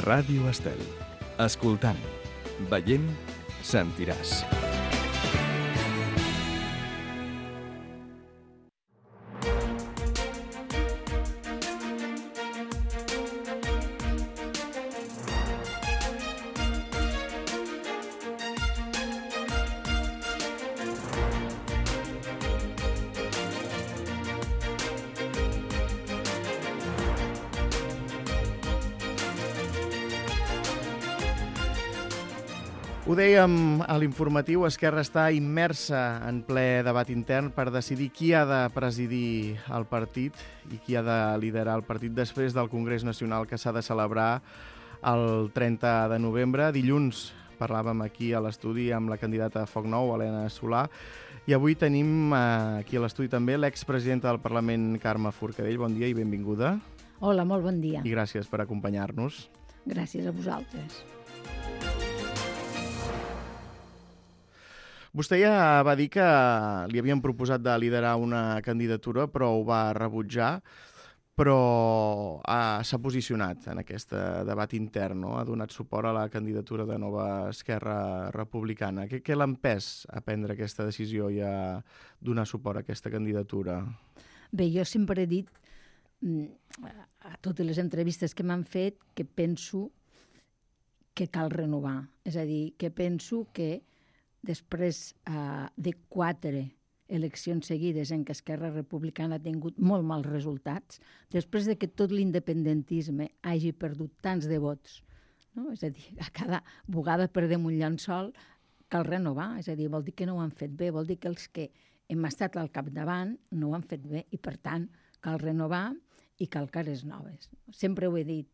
Ràdio Estel. Escoltant, veient, sentiràs. Ho dèiem a l'informatiu, Esquerra està immersa en ple debat intern per decidir qui ha de presidir el partit i qui ha de liderar el partit després del Congrés Nacional que s'ha de celebrar el 30 de novembre. Dilluns parlàvem aquí a l'estudi amb la candidata a Foc Nou, Helena Solà, i avui tenim aquí a l'estudi també l'expresidenta del Parlament, Carme Forcadell. Bon dia i benvinguda. Hola, molt bon dia. I gràcies per acompanyar-nos. Gràcies a vosaltres. Vostè ja va dir que li havien proposat de liderar una candidatura, però ho va rebutjar, però s'ha posicionat en aquest debat intern, no? Ha donat suport a la candidatura de Nova Esquerra Republicana. Què l'ha empès a prendre aquesta decisió i a donar suport a aquesta candidatura? Bé, jo sempre he dit, a totes les entrevistes que m'han fet, que penso que cal renovar. És a dir, que penso que després de 4 eleccions seguides en què Esquerra Republicana ha tingut molt mals resultats, després de que tot l'independentisme hagi perdut tants de vots, no? És a dir, a cada vegada perdem un llençol, cal renovar, és a dir, vol dir que no ho han fet bé, vol dir que els que hem estat al capdavant no ho han fet bé i, per tant, cal renovar i cal cares noves. Sempre ho he dit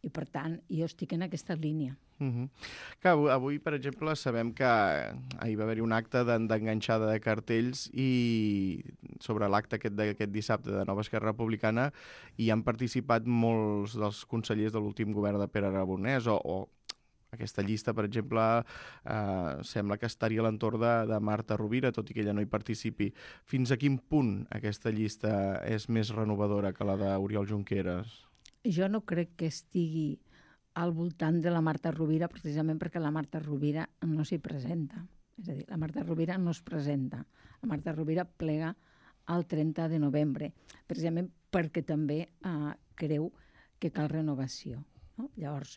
i, per tant, jo estic en aquesta línia. Que avui, per exemple, sabem que ahir va haver-hi un acte d'enganxada de cartells i sobre l'acte d'aquest dissabte de Nova Esquerra Republicana hi han participat molts dels consellers de l'últim govern de Pere Aragonès o aquesta llista, per exemple, sembla que estaria a l'entorn de Marta Rovira, tot i que ella no hi participi. Fins a quin punt aquesta llista és més renovadora que la d'Oriol Junqueras? Jo no crec que estigui al voltant de la Marta Rovira, precisament perquè la Marta Rovira no s'hi presenta. És a dir, la Marta Rovira no es presenta. La Marta Rovira plega el 30 de novembre, precisament perquè també creu que cal renovació. No? Llavors,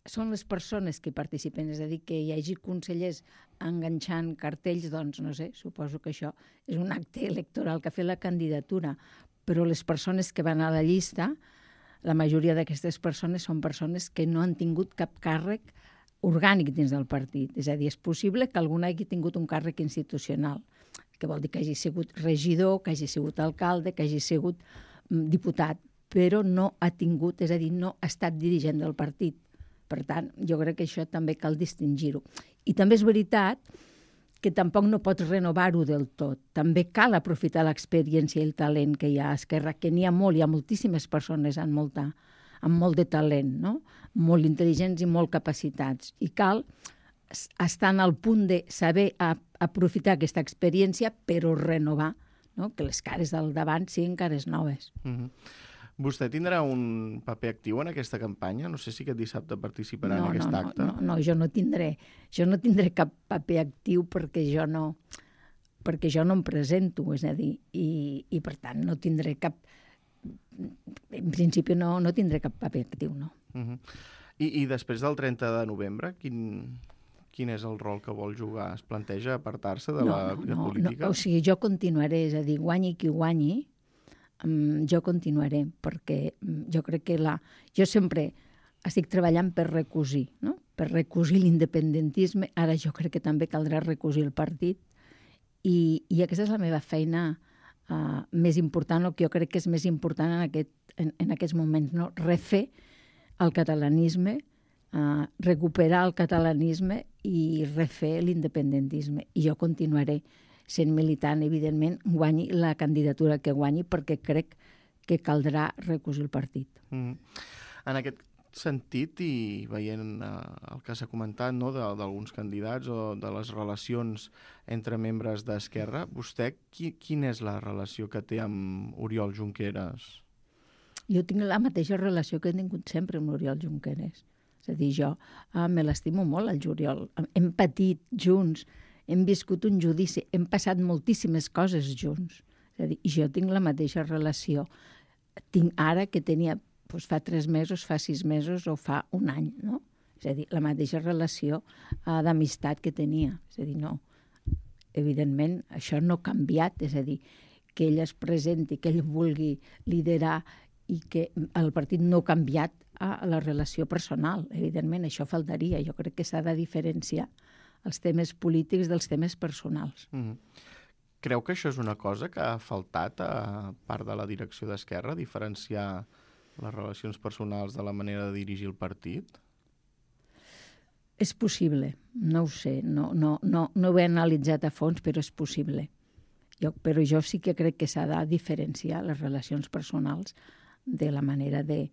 són les persones que hi participen, és a dir, que hi hagi consellers enganxant cartells, doncs, no sé, suposo que això és un acte electoral que ha fet la candidatura, però les persones que van a la llista, la majoria d'aquestes persones són persones que no han tingut cap càrrec orgànic dins del partit. És a dir, és possible que algú hagi tingut un càrrec institucional, que vol dir que hagi sigut regidor, que hagi sigut alcalde, que hagi sigut diputat, però no ha tingut, és a dir, no ha estat dirigent del partit. Per tant, jo crec que això també cal distingir-ho. I també és veritat que tampoc no pots renovar-ho del tot. També cal aprofitar l'experiència i el talent que hi ha a Esquerra, que n'hi ha molt, hi ha moltíssimes persones amb molt de talent, no? Molt intel·ligents i molt capacitats. I cal estar en el punt de saber aprofitar aquesta experiència, però renovar, no? Que les cares del davant siguin cares noves. Vostè tindrà un paper actiu en aquesta campanya? No sé si aquest dissabte participarà en aquest acte. No, jo no tindré cap paper actiu perquè jo no em presento, és a dir, i per tant no tindré cap, en principi no tindré cap paper actiu, no. I després del 30 de novembre, quin és el rol que vol jugar? Es planteja apartar-se de la vida política? No, o sigui, jo continuaré, és a dir, guanyi qui guanyi, jo continuaré, perquè jo crec que jo sempre estic treballant per recosir, no? Per recosir l'independentisme. Ara jo crec que també caldrà recosir el partit i aquesta és la meva feina més important, o que jo crec que és més important en aquests moments, no? Refer el catalanisme, recuperar el catalanisme i refer l'independentisme. I jo continuaré sent militant, evidentment, guanyi la candidatura que guanyi, perquè crec que caldrà recosir el partit. En aquest sentit, i veient el que s'ha comentat, no, d'alguns candidats o de les relacions entre membres d'Esquerra, vostè quina és la relació que té amb Oriol Junqueras? Jo tinc la mateixa relació que he tingut sempre amb l'Oriol Junqueras. És a dir, jo me l'estimo molt, el Oriol. Hem patit junts, hem viscut un judici, hem passat moltíssimes coses junts. És a dir, jo tinc la mateixa relació. Tinc ara que tenia, doncs fa 3 mesos, fa 6 mesos o fa un any, no? És a dir, la mateixa relació d'amistat que tenia. És a dir, no. Evidentment, això no ha canviat, és a dir, que ell es presenti, que ell vulgui liderar i que el partit no ha canviat a la relació personal. Evidentment, això faltaria. Jo crec que s'ha de diferenciar els temes polítics dels temes personals. Creu que això és una cosa que ha faltat a part de la direcció d'Esquerra, diferenciar les relacions personals de la manera de dirigir el partit? És possible, no ho sé, no ho he analitzat a fons, però és possible. Però jo sí que crec que s'ha de diferenciar les relacions personals de la manera de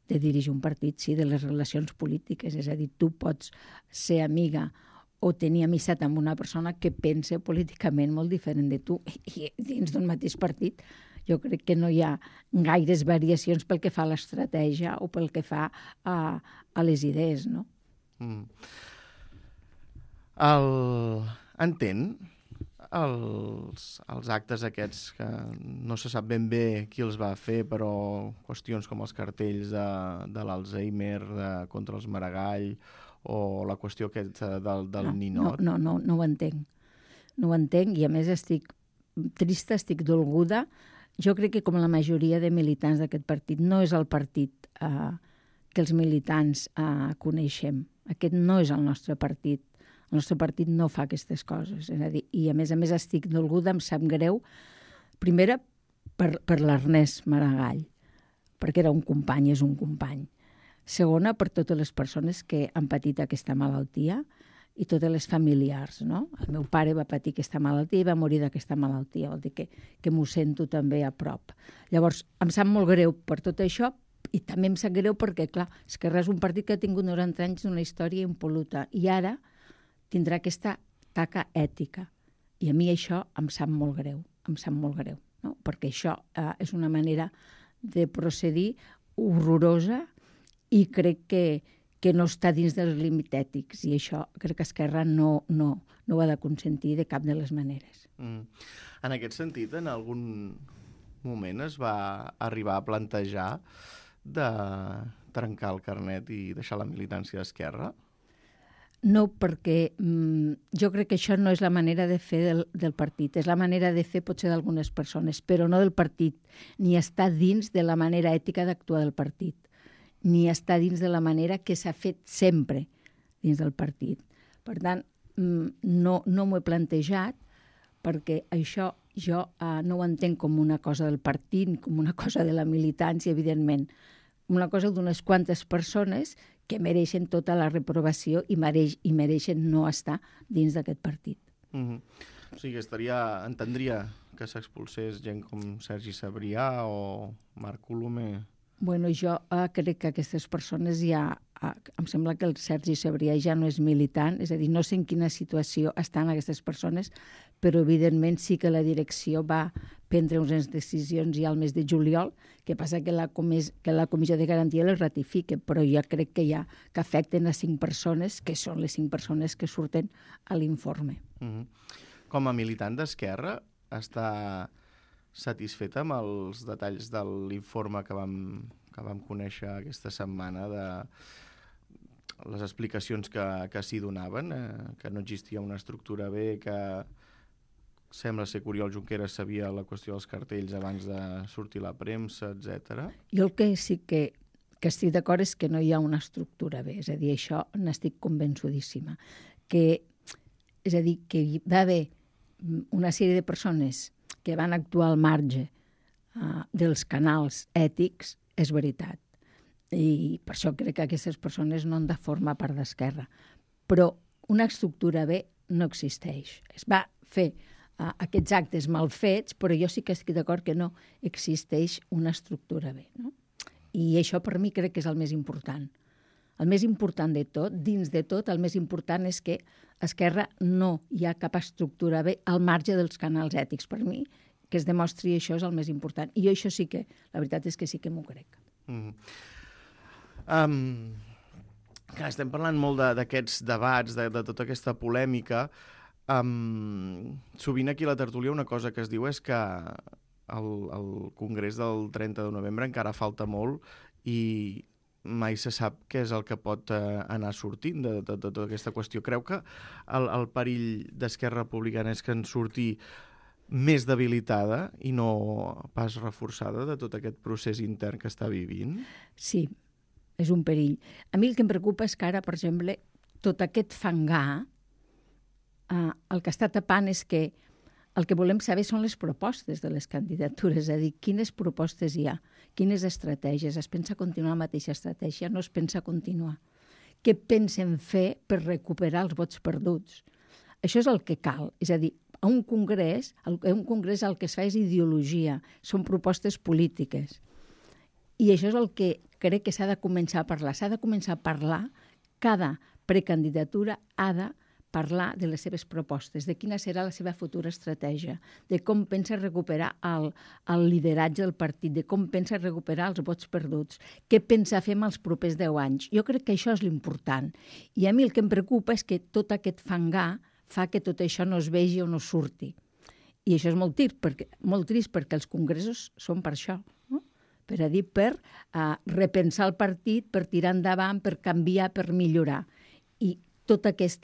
dirigir un partit, sí, de les relacions polítiques. És a dir, tu pots ser amiga o tenir amistat amb una persona que pensa políticament molt diferent de tu i dins d'un mateix partit. Jo crec que no hi ha gaires variacions pel que fa a l'estratègia o pel que fa a les idees, no? Entén els actes aquests que no se sap ben bé qui els va fer, però qüestions com els cartells de l'Alzheimer contra els Maragall o la qüestió aquesta del ninot? No ho entenc. No ho entenc i a més estic trista, estic dolguda. Jo crec que com la majoria de militants d'aquest partit no és el partit que els militants coneixem. Aquest no és el nostre partit. El nostre partit no fa aquestes coses. És a dir, i a més estic dolguda, em sap greu, primera per l'Ernest Maragall, perquè era un company, és un company. Segona, per totes les persones que han patit aquesta malaltia i totes les familiars, no? El meu pare va patir aquesta malaltia i va morir d'aquesta malaltia, vol dir que m'ho sento també a prop. Llavors, em sap molt greu per tot això i també em sap greu perquè, clar, Esquerra és un partit que ha tingut 90 anys d'una història impol·luta i ara tindrà aquesta taca ètica. I a mi això em sap molt greu, no? Perquè això és una manera de procedir horrorosa i crec que no està dins dels límits ètics i això crec que Esquerra no ho ha de consentir de cap de les maneres. En aquest sentit, en algun moment es va arribar a plantejar de trencar el carnet i deixar la militància d'Esquerra? No, perquè jo crec que això no és la manera de fer del partit. És la manera de fer potser d'algunes persones, però no del partit. Ni està dins de la manera ètica d'actuar del partit. Ni està dins de la manera que s'ha fet sempre dins del partit. Per tant, no m'ho he plantejat perquè això jo no ho entenc com una cosa del partit, com una cosa de la militància, evidentment. Una cosa d'unes quantes persones que mereixen tota la reprovació i mereixen no estar dins d'aquest partit. O sigui, entendria que s'expulsés gent com Sergi Sabrià o Marc Colomer? Bueno, jo crec que aquestes persones ja... Em sembla que el Sergi Sabrià ja no és militant, és a dir, no sé en quina situació estan aquestes persones, però evidentment sí que la direcció va prendre unes decisions ja al mes de juliol, que passa que la Comissió de Garantia les ratifica, però jo crec que que afecten a 5 persones, que són les 5 persones que surten a l'informe. Com a militant d'Esquerra, està satisfeta amb els detalls de l'informe que vam conèixer aquesta setmana de les explicacions que s'hi donaven, que no existia una estructura B, que sembla ser que Oriol Junqueras sabia la qüestió dels cartells abans de sortir a la premsa, etc. Jo el que sí que estic d'acord és que no hi ha una estructura B, és a dir, això n'estic convençudíssima. És a dir, que hi va haver una sèrie de persones que van actuar al marge dels canals ètics, és veritat. I per això crec que aquestes persones no han de formar part d'Esquerra. Però una estructura B no existeix. Es va fer aquests actes mal fets, però jo sí que estic d'acord que no existeix una estructura B, no? I això per mi crec que és el més important. El més important de tot, dins de tot, el més important és que a Esquerra no hi ha cap estructura B al marge dels canals ètics. Per mi, que es demostri això és el més important. I jo això sí que, la veritat és que sí que m'ho crec. Clar, estem parlant molt d'aquests debats, de tota aquesta polèmica. Sovint aquí a la tertúlia una cosa que es diu és que el congrés del 30 de novembre encara falta molt i mai se sap què és el que pot anar sortint de tota aquesta qüestió. Creu que el perill d'Esquerra Republicana és que en surti més debilitada i no pas reforçada de tot aquest procés intern que està vivint? Sí, és un perill. A mi el que em preocupa és que ara, per exemple, tot aquest fangar, el que està tapant és que el que volem saber són les propostes de les candidatures, és a dir, quines propostes hi ha, quines estratègies, es pensa continuar la mateixa estratègia, no es pensa continuar. Què pensen fer per recuperar els vots perduts? Això és el que cal, és a dir, a un congrés el que es fa és ideologia, són propostes polítiques. I això és el que crec que s'ha de començar a parlar. S'ha de començar a parlar, cada precandidatura ha de parlar de les seves propostes, de quina serà la seva futura estratègia, de com pensa recuperar el lideratge del partit, de com pensa recuperar els vots perduts, què pensa fer amb els propers 10 anys. Jo crec que això és l'important. I a mi el que em preocupa és que tot aquest fangar fa que tot això no es vegi o no surti. I això és molt trist perquè els congressos són per això, no? Per repensar el partit, per tirar endavant, per canviar, per millorar. I totes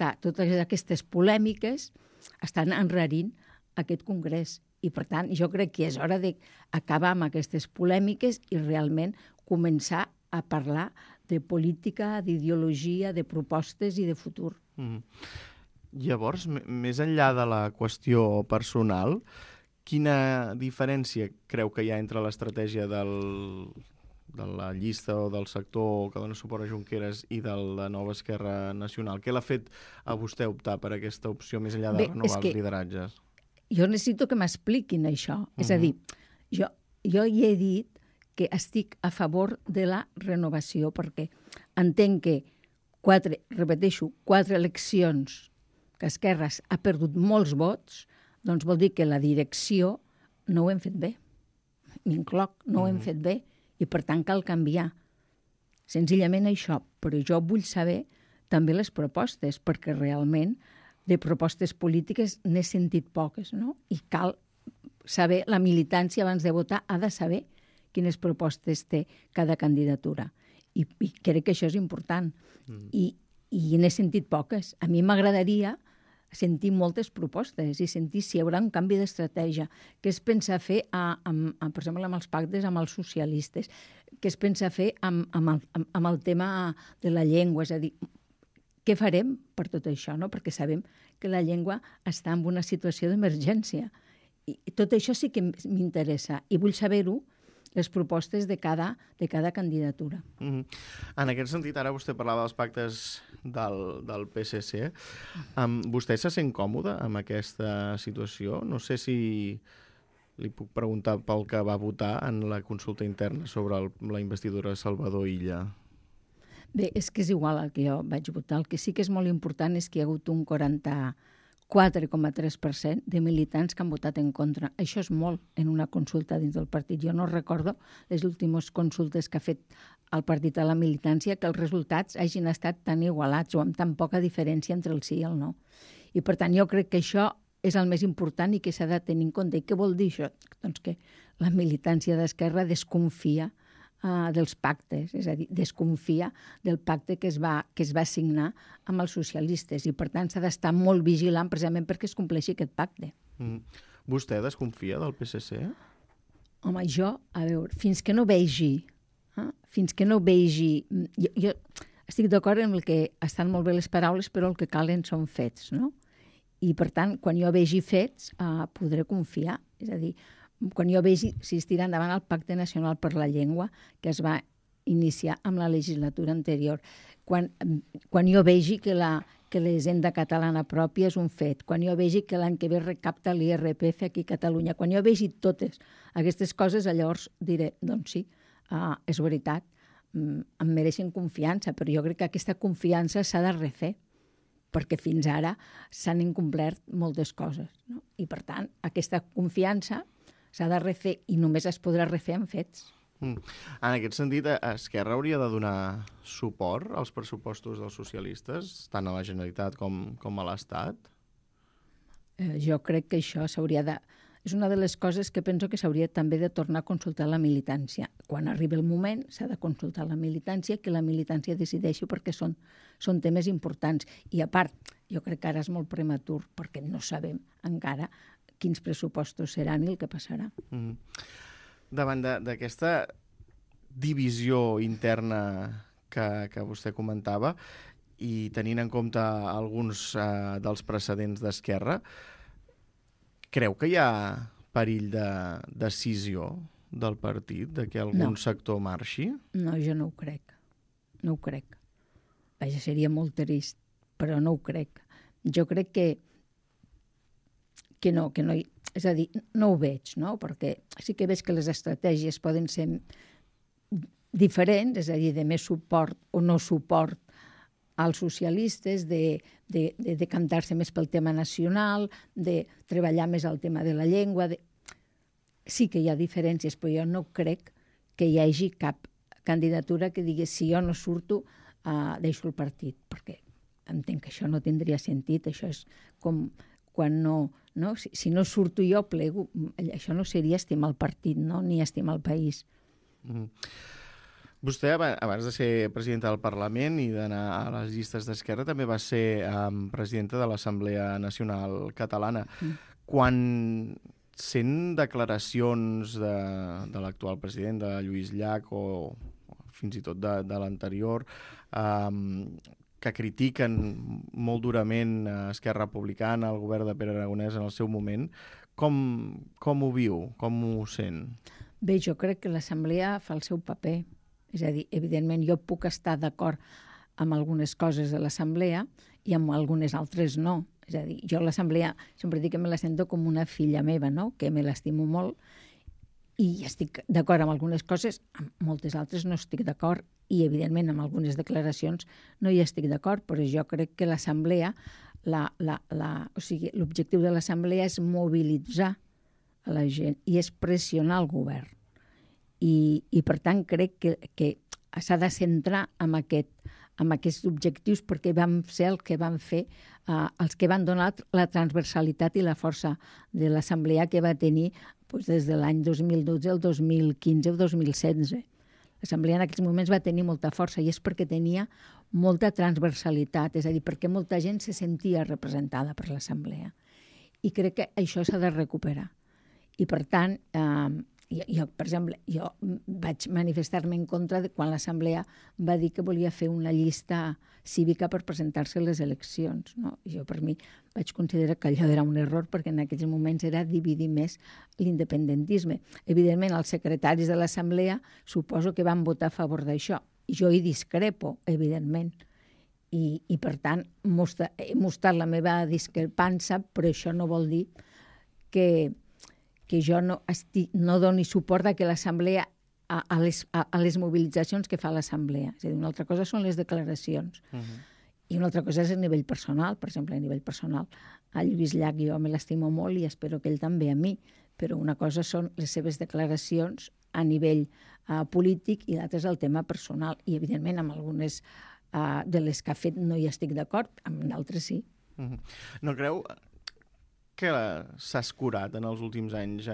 aquestes polèmiques estan enrarint aquest congrés. I, per tant, jo crec que és hora d'acabar amb aquestes polèmiques i realment començar a parlar de política, d'ideologia, de propostes i de futur. Llavors, més enllà de la qüestió personal, quina diferència creu que hi ha entre l'estratègia de la llista o del sector que dona suport a Junqueras i de la nova Esquerra Nacional? Què l'ha fet a vostè optar per aquesta opció més enllà de renovar els lideratges? Jo necessito que m'expliquin això. És a dir, jo hi he dit que estic a favor de la renovació perquè entenc que 4 eleccions que Esquerra ha perdut molts vots, doncs vol dir que la direcció no ho hem fet bé. M'incloc, no ho hem fet bé. I, per tant, cal canviar. Senzillament això. Però jo vull saber també les propostes, perquè realment de propostes polítiques n'he sentit poques, no? I cal saber, la militància abans de votar ha de saber quines propostes té cada candidatura. I crec que això és important. I n'he sentit poques. A mi m'agradaria sentir moltes propostes i sentir si hi haurà un canvi d'estratègia. Què es pensa fer, per exemple, amb els pactes amb els socialistes? Què es pensa fer amb el tema de la llengua? És a dir, què farem per tot això? No? Perquè sabem que la llengua està en una situació d'emergència. I tot això sí que m'interessa i vull saber-ho, les propostes de cada candidatura. En aquest sentit, ara vostè parlava dels pactes del PSC. Vostè se sent còmode amb aquesta situació? No sé si li puc preguntar pel que va votar en la consulta interna sobre la investidura de Salvador Illa. Bé, és que és igual el que jo vaig votar. El que sí que és molt important és que hi ha hagut un 4,3% de militants que han votat en contra. Això és molt en una consulta dins del partit. Jo no recordo les últimes consultes que ha fet el partit a la militància que els resultats hagin estat tan igualats o amb tan poca diferència entre el sí i el no. I, per tant, jo crec que això és el més important i que s'ha de tenir en compte. I què vol dir això? Doncs que la militància d'Esquerra desconfia dels pactes, és a dir, desconfia del pacte que es va signar amb els socialistes i, per tant, s'ha d'estar molt vigilant precisament perquè es compleixi aquest pacte. Vostè desconfia del PSC? Home, jo, a veure, fins que no vegi... Jo estic d'acord amb el que estan molt bé les paraules, però el que calen són fets, no? I, per tant, quan jo vegi fets, podré confiar. És a dir, quan jo vegi si es tira endavant el Pacte Nacional per la Llengua, que es va iniciar amb la legislatura anterior, quan jo vegi que l'Hisenda Catalana pròpia és un fet, quan jo vegi que l'any que ve recapta l'IRPF aquí a Catalunya, quan jo vegi totes aquestes coses, llavors diré, doncs sí, és veritat, em mereixen confiança, però jo crec que aquesta confiança s'ha de refer, perquè fins ara s'han incomplert moltes coses, no? I, per tant, aquesta confiança s'ha de refer i només es podrà refer amb fets. En aquest sentit, Esquerra hauria de donar suport als pressupostos dels socialistes, tant a la Generalitat com a l'Estat? Jo crec que això s'hauria de... És una de les coses que penso que s'hauria també de tornar a consultar la militància. Quan arribi el moment s'ha de consultar la militància, que la militància decideixi perquè són temes importants. I a part, jo crec que ara és molt prematur perquè no sabem encara quins pressupostos seran i el que passarà. Davant d'aquesta divisió interna que vostè comentava i tenint en compte alguns dels precedents d'Esquerra, creu que hi ha perill de decisió del partit, de que algun sector marxi? No, jo no ho crec. No ho crec. Vaja, seria molt trist, però no ho crec. Jo crec que no hi... És a dir, no ho veig, no? Perquè sí que veig que les estratègies poden ser diferents, és a dir, de més suport o no suport als socialistes, de decantar-se més pel tema nacional, de treballar més el tema de la llengua. Sí que hi ha diferències, però jo no crec que hi hagi cap candidatura que digui si jo no surto, deixo el partit, perquè entenc que això no tindria sentit, això és com quan no... Si no surto jo, plego. Això no seria estimar el partit, no? Ni estimar el país. Vostè, abans de ser presidenta del Parlament i d'anar a les llistes d'Esquerra, també va ser presidenta de l'Assemblea Nacional Catalana. Quan sent declaracions de l'actual president, de Lluís Llach, o fins i tot de l'anterior, que critiquen molt durament Esquerra Republicana, el govern de Pere Aragonès en el seu moment, com ho viu? Com ho sent? Bé, jo crec que l'Assemblea fa el seu paper. És a dir, evidentment, jo puc estar d'acord amb algunes coses de l'Assemblea i amb algunes altres no. És a dir, jo l'Assemblea sempre dic que me la sento com una filla meva, no? Que me l'estimo molt i estic d'acord amb algunes coses, amb moltes altres no estic d'acord i, evidentment, amb algunes declaracions no hi estic d'acord, però jo crec que l'Assemblea, o sigui, l'objectiu de l'Assemblea és mobilitzar a la gent i és pressionar el govern. I per tant, crec que s'ha de centrar en aquests objectius perquè vam ser el que van fer els que van donar la transversalitat i la força de l'Assemblea que va tenir des de l'any 2012 al 2015 o 2016. L'Assemblea en aquells moments va tenir molta força i és perquè tenia molta transversalitat, és a dir, perquè molta gent se sentia representada per l'Assemblea. I crec que això s'ha de recuperar. I per tant, jo, per exemple, jo vaig manifestar-me en contra de quan l'Assemblea va dir que volia fer una llista cívica per presentar-se a les eleccions. No? Jo, per mi, vaig considerar que allò era un error perquè en aquells moments era dividir més l'independentisme. Evidentment, els secretaris de l'Assemblea suposo que van votar a favor d'això. Jo hi discrepo, evidentment. I per tant, he mostrat la meva discrepància, però això no vol dir que jo no doni suport a que l'Assemblea a les mobilitzacions que fa l'Assemblea. És a dir, una altra cosa són les declaracions. I una altra cosa és a nivell personal. Per exemple, a nivell personal, a Lluís Llach jo me l'estimo molt i espero que ell també a mi. Però una cosa són les seves declaracions a nivell polític i l'altra és el tema personal. I, evidentment, amb algunes de les que ha fet no hi estic d'acord, amb d'altres sí. No creu que s'ha escurat en els últims anys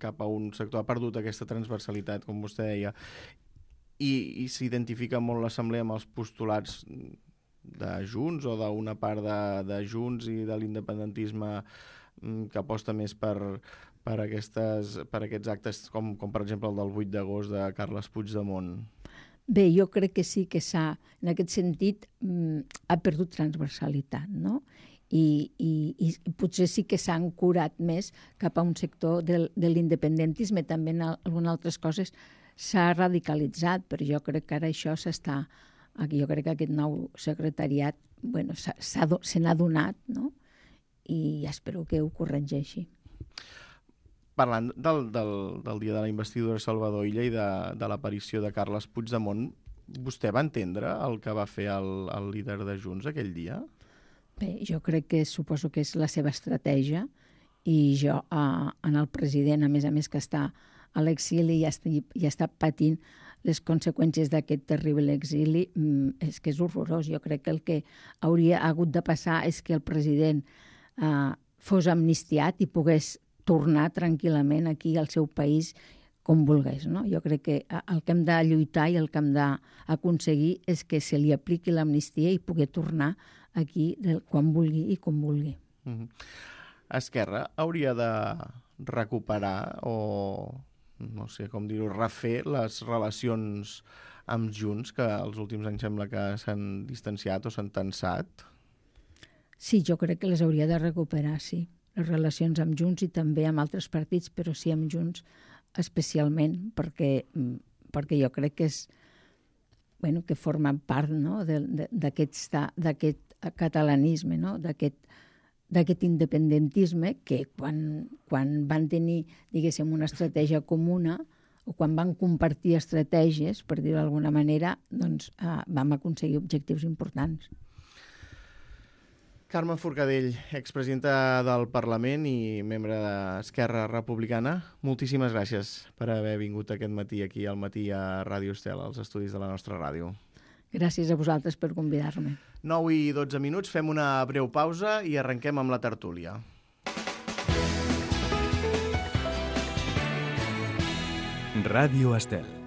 cap a un sector, ha perdut aquesta transversalitat, com vostè deia, i s'identifica molt l'Assemblea amb els postulats de Junts o d'una part de Junts i de l'independentisme que aposta més per aquests actes com per exemple el del 8 d'agost de Carles Puigdemont? Bé, jo crec que sí que en aquest sentit, ha perdut transversalitat, no? I potser sí que s'han curat més cap a un sector de l'independentisme. També en algunes altres coses s'ha radicalitzat, però jo crec que ara això s'està... Jo crec que aquest nou secretariat se n'ha donat, no? I espero que ho corregeixi. Parlant del dia de la investidura de Salvador Illa i de l'aparició de Carles Puigdemont, vostè va entendre el que va fer el líder de Junts aquell dia? Bé, jo crec que suposo que és la seva estratègia i jo en el president, a més que està a l'exili i està patint les conseqüències d'aquest terrible exili, és que és horrorós. Jo crec que el que hauria hagut de passar és que el president fos amnistiat i pogués tornar tranquil·lament aquí al seu país com volgués, no? Jo crec que el que hem de lluitar i el que hem d'aconseguir és que se li apliqui l'amnistia i pugui tornar aquí quan vulgui i com vulgui. Esquerra hauria de recuperar o, no sé com dir-ho, refer les relacions amb Junts, que els últims anys sembla que s'han distanciat o s'han tensat? Sí, jo crec que les hauria de recuperar, sí. Les relacions amb Junts i també amb altres partits, però sí amb Junts especialment, perquè jo crec que que forma part, no?, d'aquest catalanisme, no?, d'aquest independentisme que quan van tenir, diguéssim, una estratègia comuna o quan van compartir estratègies, per dir-ho d'alguna manera, doncs vam aconseguir objectius importants. Carme Forcadell, expresidenta del Parlament i membre d'Esquerra Republicana, moltíssimes gràcies per haver vingut aquest matí aquí al Matí a Ràdio Estel, als estudis de la nostra ràdio. Gràcies a vosaltres per convidar-me. 9 i 12 minuts, fem una breu pausa i arrenquem amb la tertúlia. Ràdio Estel.